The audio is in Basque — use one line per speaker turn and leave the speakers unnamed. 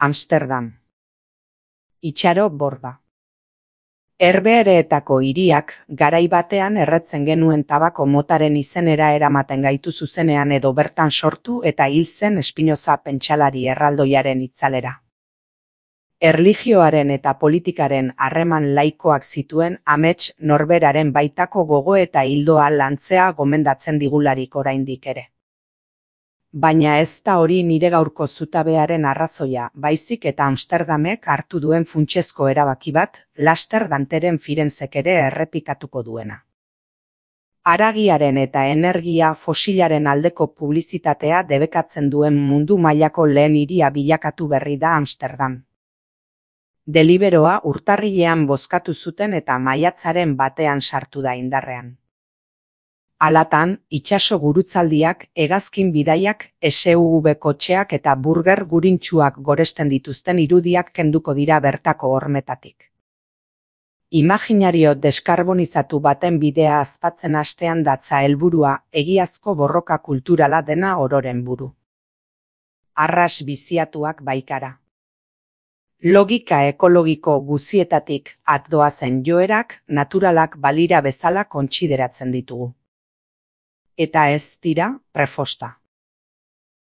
Amsterdam. Itxaro Borda. Herbehereetako hiriak garai batean erretzen genuen tabako motaren izenera eramaten gaitu zuzenean edo bertan sortu eta hil zen Espinoza pentsalari erraldoiaren itzalera. Erlijioaren eta politikaren harreman laikoak zituen amets norberaren baitako gogo eta hildoa lantzea gomendatzen digularik oraindik ere. Baina ez da hori nire gaurko zutabearen arrazoia, baizik eta Amsterdamek hartu duen funtsezko erabaki bat, laster Danteren Firenzek ere errepikatuko duena. Haragiaren eta energia fosilaren aldeko publizitatea debekatzen duen mundu mailako lehen hiria bilakatu berri da Amsterdam. Deliberoa urtarrilean bozkatu zuten eta maiatzaren batean sartu da indarrean. Halatan, itsaso gurutzaldiak, hegazkin bidaiak, SUV kotxeak eta burger gurintsuak goresten dituzten irudiak kenduko dira bertako hormetatik. Imaginario deskarbonizatu baten bidea azpatzen hastean datza helburua, egiazko borroka kulturala dena ororen buru. Arras biziatuak baikara. Logika ekologiko guzietatik atdoazen joerak naturalak balira bezala kontsideratzen ditugu. Eta ez dira prefosta.